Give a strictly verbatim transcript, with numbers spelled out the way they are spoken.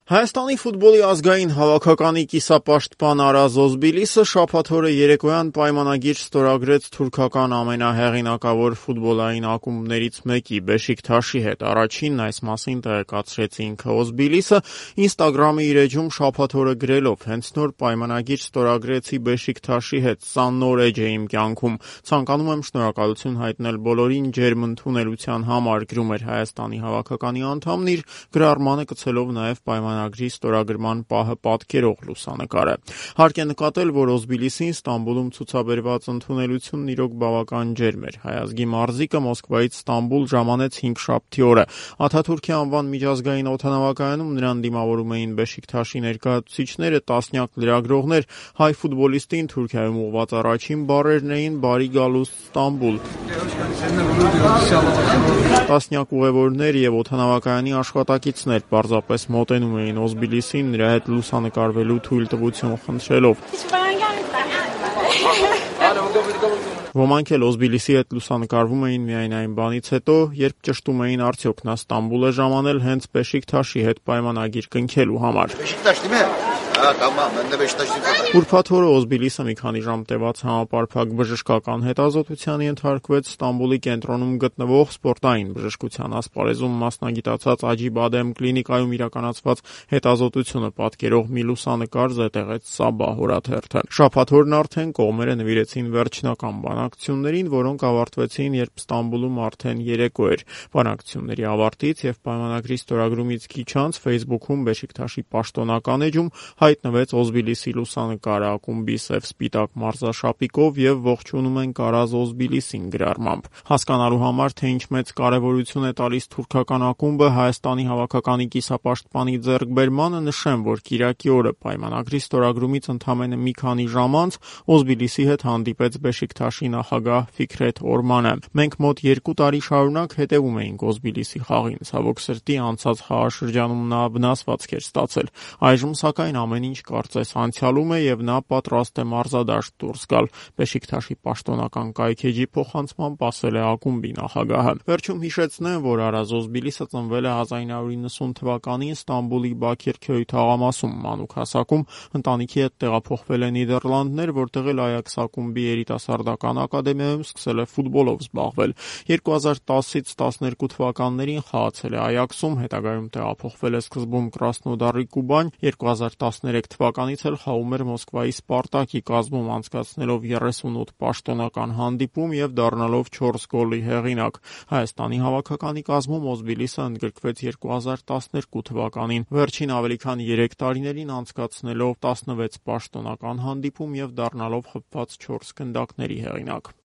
Հայաստանի ֆուտբոլի ազգային հավաքականի կիսապաշտպան Արազ Օզբիլիսը շաբաթ օրը երեկոյան պայմանագիր ստորագրեց թուրքական ամենահեղինակավոր ֆուտբոլային ակումբներից մեկի Բեշիկթաշի հետ։ Առաջինն այս մասին տեղեկացրեց ինքը Օզբիլիսը Instagram-ի իր էջում շաբաթ օրը գրելով. «Հենց նոր պայմանագիր ստորագրեցի Բեշիկթաշի հետ, սա նոր էջ է իմ կյանքում։ Ցանկանում եմ շնորհակալություն հայտնել բոլորին ջերմ ընդունելության համար», գրում էր Հայաստանի հավաքականի անդամն իր գրառմանը գցելով նաև պայմանագիր Ագրի ստորագրման պահը պատկերող լուսանկարը։ Հարկ է նկատել, որ Օզբիլիսին Ստամբուլում ցուցաբերված ընդունելությունն իրոք բավական ջերմ էր։ Հայազգի մարզիկը Մոսկվայից Ստամբուլ ժամանեց հինգշաբթի օրը։ Աթաթուրքի անվան միջազգային օդանավակայանում նրան դիմավորում էին Բեշիկթաշի ներկայացուցիչները, տասնյակ լրագրողներ։ Հայ ֆուտբոլիստին Թուրքիայում ուղղված առաջին բառերն էին՝ «Բարի գալուստ Ստամբուլ»։ Տասնյակ ուղևորներ եւ օդանավակայանի աշխատակիցներ պարզապես մոտենում էին Օզբիլիսին, նրա հետ լուսանկարվելու թույլտվություն խնդրելով։ Ոմանք էլ Օզբիլիսի հետ լուսանկարվում էին միայն այն բանից հետո, երբ ճշտում էին արդյոք նա Ստամբուլ է ժամանել հենց Բեշիկթաշի հետ պայմանագիր կնքելու համար։ Ուրբաթ օրը Օզբիլիսը մի քանի ժամ տևած համապարփակ բժշկական հետազոտության ենթարկվեց Ստամբուլի կենտրոնում գտնվող սպորտային բժշկության ասպարեզում մասնագիտացած Աջիբադեմ կլինիկայում իրականացված հետազոտությունը պատկերող մի լուսանկար զետեղեց Սաբահ օրաթերթը։ Շաբաթ օրն արդեն կողմերը նվիրեցին վերջնական բանակցություններին, որոնք ավարտվեցին, երբ Ստամբուլում արդեն երեկո էր։ Բանակցությունների ավարտից եւ պայմանագրի ստորագրումից քիչ անց Facebook-ում Բեշիկթաշի պաշտոնական էջում հայտնվեց Օզբիլիսի լուսանկարը ակումբի սև-սպիտակ մարզաշապիկով եւ ողջունում ենք Արազ Օզբիլիսին գրառմամբ։ Հասկանալու համար, թե ինչ մեծ կարեւորություն է տալիս թուրքական ակումբը Հայաստանի հավաքականի կիսապաշտպանի ձեռքբերմանը, նշեմ, որ կիրակի օրը պայմանագրի ստորագրումից ընդամենը մի քանի ժամ անց Օզբիլիսի հետ հանդիպեց Բեշիկթաշի նախագահ Ֆիքրեթ Օրմանը։ Մենք մոտ երկու տարի շարունակ հետևում էինք Օզբիլիսի խաղին, ցավոք սրտի անցած խաղաշրջանում նա վնասվածք էր ստացել։ Այժմ սակայն ամեն ինչ կարծես անցյալում է եւ նա պատրաստ է մարզադաշտ դուրս գալ, Բեշիկթաշի պաշտոնական կայքէջի փոխանցմամբ ասել է ակումբի նախագահը։ Վերջում հիշեցնեմ, որ Արազ Օզբիլիսը ծնվել է հազար նույնսուն իննսուն թվականին Ստամբուլի Բաքիրքյոյ թաղամասում, մանուկ հասակում ընտանիքի հետ տեղափոխվել է Նիդերլանդներ, որտեղ էլ Այաքս ակումբի երիտասարդական ակադեմիայում սկսել է ֆուտբոլով զբաղվել։ երկու հազար տասից տասներկու թվականներին խաղացել է Այաքսում, հետագայում տեղափոխվել է սկզբում Կրասնոդարի Կուբան, երկու հազար տասներեք թվականից էլ խաղում էր Մոսկվայի Սպարտակի կազմում, անցկացնելով երեսունութ պաշտոնական հանդիպում եւ դառնալով չորս գոլի հեղինակ։ Հայաստանի հավաքականի կազմում Օզբիլիսը ընդգրկվեց երկու հազար տասներկու թվականին, վերջին ավելի քան երեք տարիներին անցկացնելով տասնվեց պաշտոնական հանդիպում եւ դառնալով խփված չորս գնդակների հեղինակ։